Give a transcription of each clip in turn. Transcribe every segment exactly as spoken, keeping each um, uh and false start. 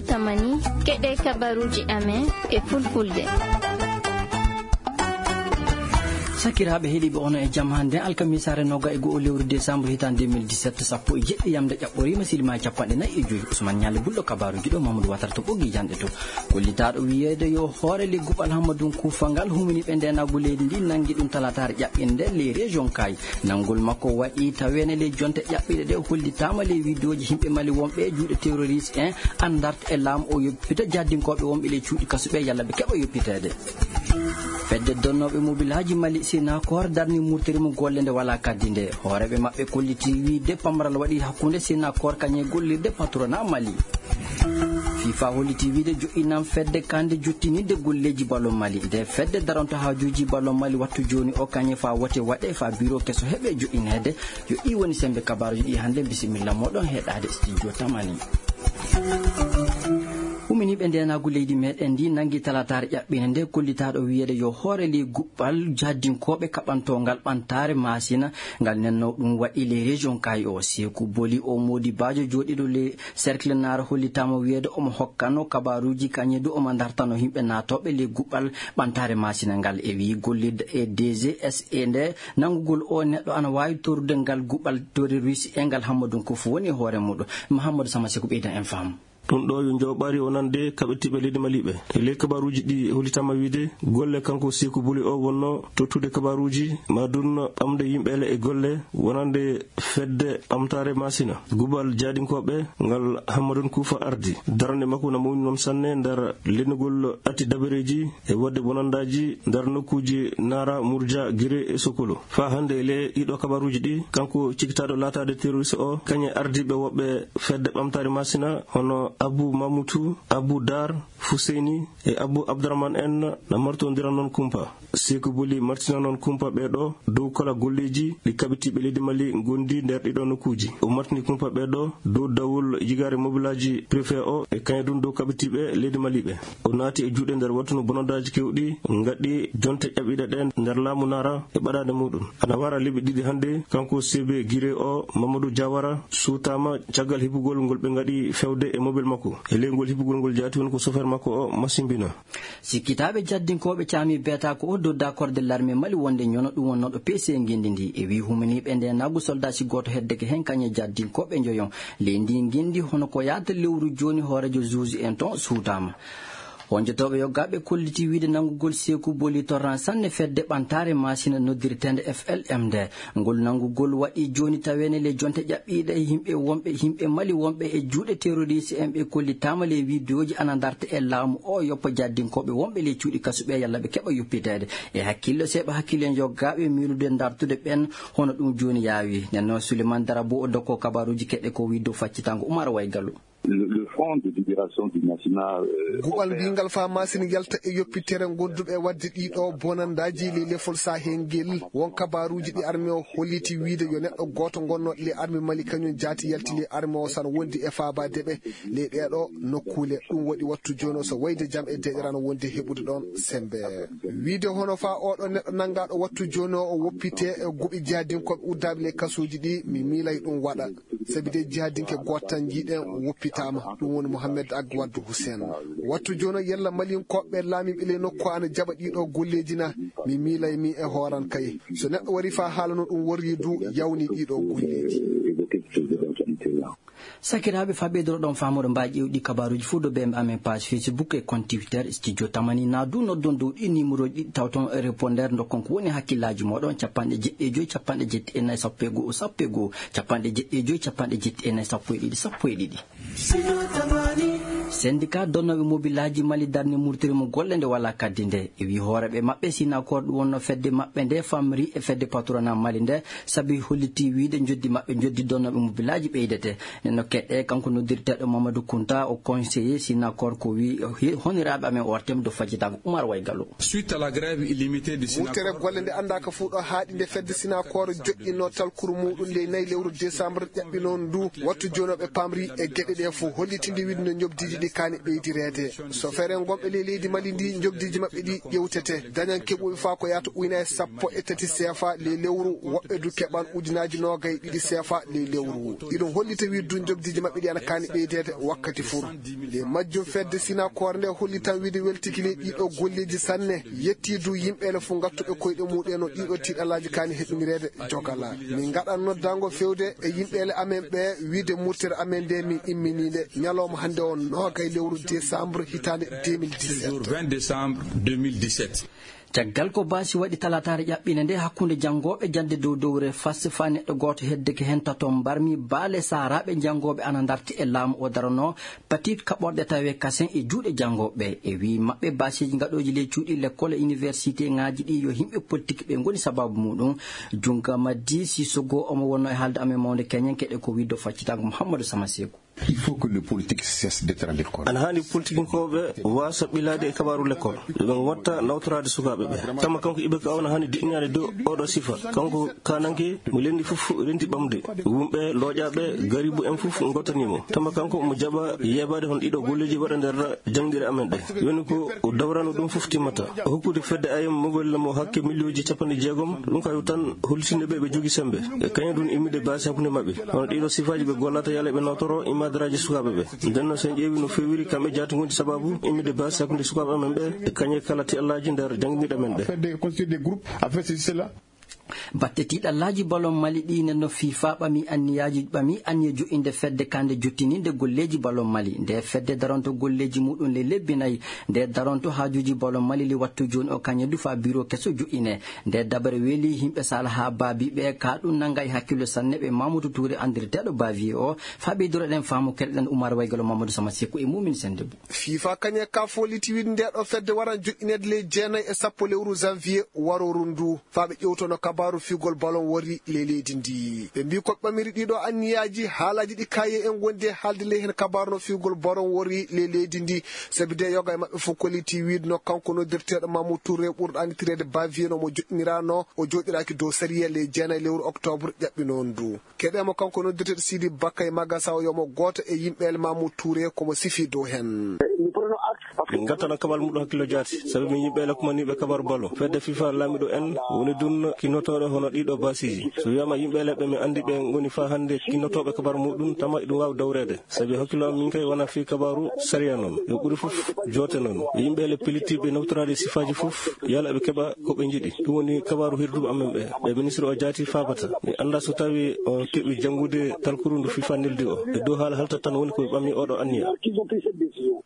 Tamani, keɗe kabaruuji amen e fulfulde. Sakiraaɓe heɗiiɓe, ono e jam hannde alkamisaare noga e go'o lewru décembre hitaande deux mille dix-sept, sappo e jeɗɗi yamde ƴaɓɓoriima, silima capanɗe nayi e joyi. Ousmane Ñaali Bulɗo, kabaruuji ɗo, Mamadou Watara to ɓoggi janɗe to. Kollitaaɗo wiyeede yo hoore le guɓal Hammadun Kuufa ngal humini ɓe ndeenaagu leydi ndi, nanngi ɗum talaataare ƴaɓɓinde les régions kay. Nanngol makko waɗi taweene ley jonte ƴaɓɓiiɗe ɗe, hollitaama ley wideoji yimɓe Mali wonɓe e juuɗe terroriste en, anndarta e laamu o yoppita jahdinkooɓe wonɓe ley cuuɗi kasuɓe yalla ɓe keɓa yoppiteede. Fedde donnooɓe mobilaaji Mali Sinakor darni murtiri mo golle nde walaa kaddi nde. Hooreeɓe maɓɓe kolliti wiide pamral waɗi hakkunde Sinakor kañe gollirde patronat Mali. FIFA holliti wiide joɗɗinan fedde kande jottinirde golleeji ballon Mali. Nde fedde daronto haajuuji ballon Mali wattu jooni o kañe fa wote waɗe fa biro keso heɓe joɗɗineede. Yo ɗi woni sembe kabaaruji ɗi hannde. Bisimilla moɗon heɗaade studio Tamani. Uminiiɓe ndeenaagu leydi meɗen ndi nanngi talaataare ƴaɓɓinde nde kollitaaɗo wiyeede yo hoore ley guɓɓal jahdinkooɓe kaɓantongal ɓantaare maasina ngal nenno ɗum waɗi ley région kay o. Seeku Boli o moodi baajo jooɗiiɗo ley cercle naara hollitaama wiyeede omo hokkano kabaaruuji kañe du omo dartano yimɓe naatooɓe ley guɓɓal ɓantaare maasina ngal e wii gollirde e D G S E nde nanngugol o neɗɗo ana waawi torude ngal guɓɓal terroriste e ngal Hammadun Kuufa woni e hoore muɗum. Mahamadou Sama Seku ɓeydan en faamu. Ɗum ɗo yo njooɓaari wonande kaɓitiiɓe leydi Maliiɓe. E ley kabaaruuji ɗi hollitaama wiide golle kanko Seeku Boli o wonno tottude kabaaruuji ma dun ɓamde yimɓe ele e golle wonande fedde ɓamtaare maasina. Guɓɓal jahdinkooɓe ngal Hammadun Kuufa ardi. Darnde makko na mawni noon sanne nder lelnugol atti dabareeji e waɗde bonandaaji nder nokkuuji Naara, Murja, Gire e Sokolo. Faa hannde e ley ɗiɗo kabaaruuji ɗi, kanko cikitaaɗo laataade terroriste o, kañe ardiiɓe woɓɓe fedde ɓamtaare maasina, hono Abbu Mamutu, Abbu Daar, Fuseyni e Abbu Abdurahman en na martondira noon kumpa. Seeku Boli martina noon kumpa ɓee ɗo dow kala golleeji ɗi kaɓitiiɓe leydi Mali ngondi nder ɗiɗo nokkuuji. O martini kumpa ɓee ɗo dow dawol jigaare mobilaaji préfet o e kañum ɗum dow kaɓitiiɓe leydi Mali ɓe. O naati e juuɗe nder wattu no bonandaaji kewɗi ngaɗi jonte ƴaɓɓiiɗe ɗe nder laamu Naara e ɓadaade muɗum. Ana wara lebbi ɗiɗi hannde, kanko C B Gire o, Mamadou Diawara, suutaama caggal heɓugol ngol ɓe ngaɗi fewde e mobel makko. E ley ngol heɓugol ngol jaati woni ko chauffeur makko o masimbina. Sikkitaaɓe jahdinkooɓe caami beetaako o dodda korde l'armée Mali wonde ñono ɗum wonnooɗo P C ngenndi ndi. E wii humaniiɓe nde nagu soldaasi gooto heddeke heen kañe jahdinkooɓe njoyon. Ley ndi ngenndi hono ko yahata lewru jooni hooreejo juuji en toon suutaama. Honjotooɓe yoggaaɓe kolliti wiide nanngugol Seeku Boli torran sanne fedde ɓantaare maasina noddirteende F L M nde. Ngol nanngugol waɗi jooni taweene ley jonte ƴaɓɓiiɗe yimɓe wonɓe, yimɓe Mali wonɓe e juuɗe terroriste en ɓe kollitaama ley wideoji ana darta e laamu o yoppa jahdinkooɓe wonɓe ley cuuɗi kasuɓe yalla ɓe keɓa yoppiteede. E hakkillo seeɓa hakkillo en yoggaaɓe miilude dartude ɓen hono ɗum jooni yaawi. Nden noon Souleymane Darabo o dokko kabaaruuji keɗɗe ko wii dow faccitango Umar Waygalu. Le, le Front de Libération du Massina, euh, guɓal opère mbingal faa Maasina yalta e yoppitere gonduɓe e waɗde ɗiɗo bonandaaji ley lefol Sahel ngel. Won kabaaruuji ɗi armée o holliti wiide yo neɗɗo gooto gonnooɗo ley armée Mali kañum jaati yalti ley armée o sana wondi e faabaade ɓe ley ɗeeɗo nokkuule. Ɗum waɗi wattu jooni o so wayde jam e deeƴere ana wondi heɓude ɗoon sembe. Wiide hono faa oɗo neɗɗo nanngaaɗo wattu jooni o, o woppitee e guɓi jahdinkooɓe uddaaɓe ley kasuuji ɗi, mi miilay ɗum waɗa. Sabi de jihadinke gooto tan njiiɗen woppitaama, ɗum woni Mohamed Agwad Hussein. Wattu jooni o yalla Malinkooɓe laamiiɓe ley nokku ana jaɓa ɗiɗo golleeji na? Mi miilay mi e hooran kay. So neɗɗo wari faa haala no ɗum worri du, yawni ɗiɗo golleeji. Sakiraaɓe, faa ɓeydoro ɗon faamude mbaa ƴeewɗi kabaaruuji fuu dow B M amen page Facebook e compte Twitter Studio Tamani, naa du noddon dow ɗi numéroji ɗiɗi tawton répondeur ndokkon ko woni hakkillaaji mooɗon, capanɗe jeɗɗi e joy, capanɗe jeɗɗi e nayi, sappo e go'o, sappo e go'o, capanɗe jeɗɗi e joy, capanɗe jeɗɗi e nayi, sappo e ɗiɗi, sappo e ɗiɗi. Syndicat donnooɓe mobilaaji Mali darni murtiri mo golle nde walaa kaddi nde. E wii hooreeɓe maɓɓe Synacor ɗum wonno fedde maɓɓe nde famri e fedde patronat Mali nde, sabi holliti wiide njoddi maɓɓe njoddi donnooɓe mobilaaji ɓeydete. Nden no keɗɗe kanko noddirteeɗo Mamadou Kounta o conseiller Synacor ko wii he-, honiraaɓe amen o artem do fajjitaako Oumar Way Gallo. Suite à la grève illimitée du Synacor. Murtere golle nde anndaaka fuu ɗo haaɗi nde fedde Synacor joƴƴinno talkuru muuɗum ley nayi lewru décembre ƴaɓɓinoon ndu. Wattu jooni o ɓe pamri e geɗe ɗe fof hollitinde wiide no njoɓdiiji ɗi Kaani ɓeydireede. So feere ngonɓe ley leydi Mali ndi, njogdiiji maɓɓe ɗi ƴewtete. Dañan keɓuɓe faa ko yahata ujunaaji sappo e tati seefa ley lewru, woɓɓe du keɓan ujunaaji noogay ɗiɗi seefa ley lewru. Iɗum hollita wiide du njogdiiji maɓɓe ɗi ana kaani ɓeydeede wakkati fuu. Ley majjum fedde Sinakoore nde hollitan wiide weltiki ley ɗiɗo golleeji sanne, yetti du yimɓeele fuu ngattuɓe koyɗe muɗum no ɗiɗo tiiɗalaaji kaani heɓinireede jogala. Min ngaɗan noddaango fewde e yimɓeele amen ɓe wiide murtere amen nde min imminiinde ñalawma hannde o noogay lewru décembre hitaande deux mille dix-sept. Jour vingt décembre deux mille dix-sept. Caggal ko baasi waɗi talaataare ƴaɓɓiinde nde hakkunde janngooɓe jannde dow dowre fas faa neɗɗo gooto heddeke heen tato mbarmi baale saaraaɓe janngooɓe ana ndarti e laamu o daranoo Patit kaɓorɗe tawee kasen e juuɗe janngooɓe. E wii maɓɓe, baasiiji ngaɗooji ley cuuɗi lekkol e iniwersiteŋaaji ɗi yo yimɓe politik ɓe ngoni sabaabu muɗum. Junnga Maddi Sissogo omo wonnoo e haalde amen mawnde keñen keɗe ko wiide faccitaango Muhammadu Sama Seeku. Il faut que le politique cesse d'être à l'école. Ana haani politikinkooɓe waasa ɓilaade e kabaaru lekkol. Yo ɓe ngotta nawtoraade sukaaɓe ɓe. Tama kanko Ibeka o ana haani diƴƴinaade dow oɗo sifa. Kanko kaananke mo lenndi fof renti ɓamde. Wumɓe looƴaaɓe garibu en fof ngottanii mo. Tama kanko mo jaɓa yeebaade hono ɗiɗo golleeji waɗa nder jaŋɗiire amen ɗe. Woni ko o dawrano ɗum fof timmata. O hokkude fedde ayam mobile mo hakke miliyonji capanɗe jeegom. Ɗum kañum tan hollitinde ɓe ɓe jogii semmbe. E kañum ɗum immide baasi hakkunde maɓɓe. Hono ɗiɗo sifaaji ɓe gollata yala ɓe nawtoro immadaraaji sukaaɓe ɓe. Nden noon so en ƴeewi no feewiri kamɓe jaati ngonti sabaabu immide baasi hakkunde sukaaɓe amen ɓe. E kañe kala tiɗallaaji nder jaŋɗiire amen ɗe. Faire des, constituer des groupes, à faire ceci, cela. Batte tiiɗallaaji balon Mali ɗi nenno fifa ɓami anniyaaji, ɓami anniya jo'inde fedde kande jottininde golleeji balon Mali. Nde fedde daronto golleeji muɗum le lebbi nayi. Nde daronto haajuuji balon Mali li wattu jooni o kañe du faa biro keso jo'ine. Nde dabare weeli yimɓe sala haa baabi ɓe ka ɗum nanga e hakkillo sanne ɓe Mamadou Touré anndirteeɗo Bavier o. Faa ɓeydoroɗen faamu keɗoɗen Oumar Waygalo Mamadou Sama Seku e Mumin Sendebou. Fifa kañe ka foliti wiide nde ɗo fedde waran joƴƴineede ley jeenayi e sappo lewru janvier warooru ndu. Faa ɓe ƴewtono kabaaru fiugol balon worri ley leydi ndi. Ɓe mbii ko ɓamiri ɗiɗo anniyaaji, haalaaji ɗi kaye en wondi e haalde ley heen kabaaru no fiugol balon worri ley leydi ndi. Sabi de yoga e maɓɓe fof kolliti wiide no kanko noddirteeɗo Mamadou Touré ɓurɗo anndireede Bavier no mo joƴƴiniraano, o joɗɗiraaki dow sariya ley jeenayi lewru octobre ƴaɓɓinoondu. Keɗe mo kanko noddirteeɗo Sidi Bakay Magasa o yo mo gooto e yimɓeele Mamadou Touré ko mo sifi dow heen. Min ngattana kabal muɗum hakkillo jaati, sabi min yimɓe lakumaniiɓe kabaru balo. Fedde fifa laamiɗo en woni ɗum kinnotooɗo hono ɗiɗo baasiiji. So wiyaama yimɓe leɓɓe min anndi ɓe ngoni faa hannde kinnotooɓe kabaru muɗum, tama iɗum waawi dawreede. Sabi hakkillo am min kay wona fii kabaru sariya noon. Yo ɓuri fof joote noon. Yimɓe le pilitiiɓe nawtoraade sifaaji fof, yala ɓe keɓa ko ɓe njiɗi. Ɗum woni kabaru hirduɓe amen ɓe. Ɓe ministre o jaati faabata. Mi annda so tawi o keɓi janngude talkuru ndu fifa neldi o. E dow haala halta tan woni ko ɓe ɓami oɗo anniya.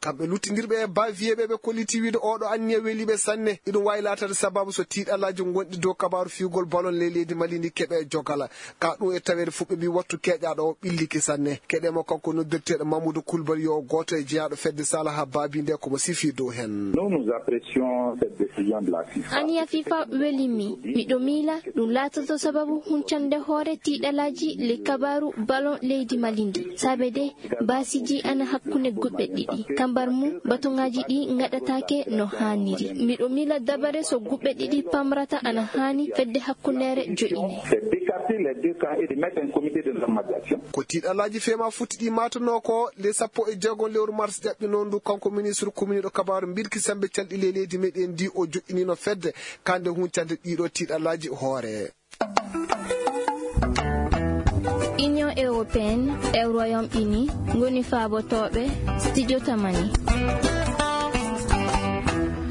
Kamɓe luttindirɓe e Bavier ɓe, ɓe kolliti wiide oɗo anniya weli ɓe sanne. Iɗum waawi laataade sababu so tiiɗalaaji ngonɗi dow kabaaru fiugol balon ley leydi Mali ndi keɓe e jogala. Ka ɗum e taweede fuɗɓe mbi wattu keeƴaaɗo o ɓilliki sanne. Keɗe mo kanko noddirteeɗo Mamadou Koulibaly yo gooto e jeyaaɗo fedde Salaha Babi nde ko mo sifi dow heen. Nous, nous apprécions cette décision de la fifa. Aniya fifa weli mi. Miɗo miila ɗum laatoto sababu huncande hoore tiiɗalaaji le kabaaru balon leydi Mali ndi. Saabe de, baasiji ana hakkunde guɓɓe ɗiɗi. Kambar mum, batuŋaaji ɗi ngaɗataake no haaniri. Miɗo miila dabare so guɓɓe ɗiɗi pamrata ana haani fedde hakkundeere jo'ine. C'est d'écarter les deux camps et de mettre un comité de normalisation. Ko tiiɗalaaji feema futti ɗi maatanoo ko le sappo e jeegom lewru mars ƴaɓɓinoo ndu, kanko ministre kuminiiɗo kabaaru mbirki sembe calɗi le leydi meɗen ndi o joƴƴiniino fedde kande huncande ɗiɗo tiiɗalaaji hoore. Union européenne e Royaume Uni ngoni faabotooɓe studio tamani.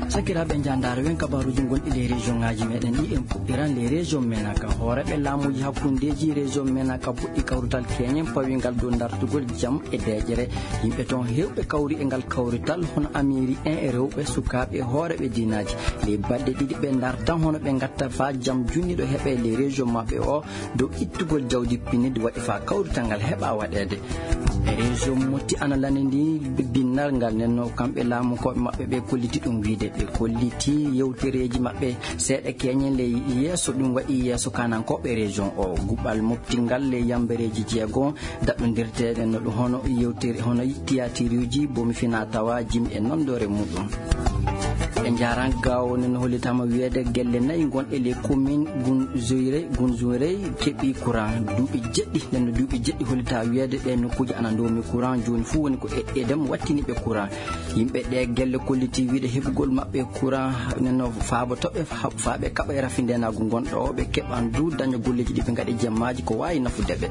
Sakiraaɓe, njaandaare wen kabaaruuji gonɗi ley région ŋaaji meɗen ɗi. En puɗɗiran ley région Menaka. Hooreeɓe laamuuji hakkundeeji région Menaka puɗɗi kawrital keñen pawingal dow dartugol jam e deeƴere. Yimɓe toon heewɓe kawri e ngal kawrital, hono amiiri en e rewɓe, sukaaɓe e hooreeɓe diinaaji. Ley balɗe ɗiɗi ɓe dartan hono ɓe ngatta faa jam junniiɗo heɓe ley région maɓɓe o. Dow ittugol jawdi pinndi waɗi faa kawrital ngal heɓa waɗeede. E région Motti ana lanndii binnal ngal, nden no kamɓe laamukooɓe maɓɓe ɓe kolliti ɗum wiide. Ɓe kolliti yewtereeji maɓɓe seeɗa keñen ley yeeso ɗum waɗi yeeso kaanankooɓe région o. Guɓal mofti ngal ley yambereeji jeego daɗɗondirteeɗe no ɗum hono yewtere, hono tiyaatiruuji, bomi fina tawa jimi e nondoore muɗum. Ɓe njaran gawo nen hollitama wiyeede gelle nayi gonɗe les commune Gunzoirey, Gunzoirey keɓi courant duuɓi jeɗɗi. Nen no duuɓi jeɗɗi hollita wiyeede ɗe nokkuuji ana ndoomi courant, jooni fuu woni ko eɗɗeede mo wattini ɓe courant. Yimɓe ɗe gelle kolliti wiide heɓugol maɓɓe courant nen no faabo toɓe fa-, faaɓe kaɓa e rafindenagu ngonɗo o, ɓe keɓan du daña golleeji ɗi ɓe ngaɗi jemmaaji ko waawi nafude ɓe.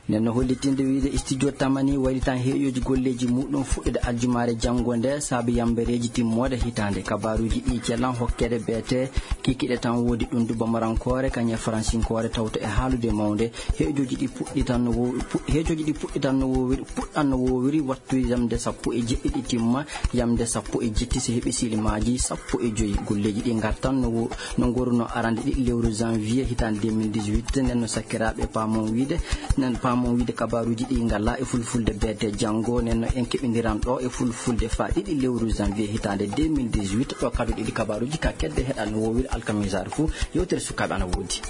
Nden no hollitinde wiide studio Tamani waylitan heeƴooji golleeji muɗum fuɗɗude aljumaare janngo nde, saabi yambereeji timmoode hitaande. Kabaaruuji ɗi celan hokkeede beete kikiɗe tan woodi ɗum du bamarankoore, kañe faransinkoore tawto e haalude mawnde. Heeƴooji ɗi puɗɗitan no wo-, pu-, heeƴooji ɗi puɗɗitan no wowiri, puɗɗan no wowiri wattu yamde sappo e jeɗɗi ɗi timma, yamde sappo e jetti si heɓi silimaaji sappo e joyi. Golleeji ɗi ngartan no wo-, no ngoruno arande ɗiɗi lewru janvier hitaande deux mille dix-huit. Nden no sakkiraaɓe paamon wiide, nen paamon wiide kabaaruuji ɗi ngala e fulfulde beete janngo. Nen no en keɓindiran ɗo e fulfulde fa ɗiɗi lewru janvier hitaande deux mille dix-huit. Ɗo kadu ɗiɗi kabaaruuji ka kedde heɗan no wowiri alkamisaare fuu. Yewtere sukaaɓe ana woodi.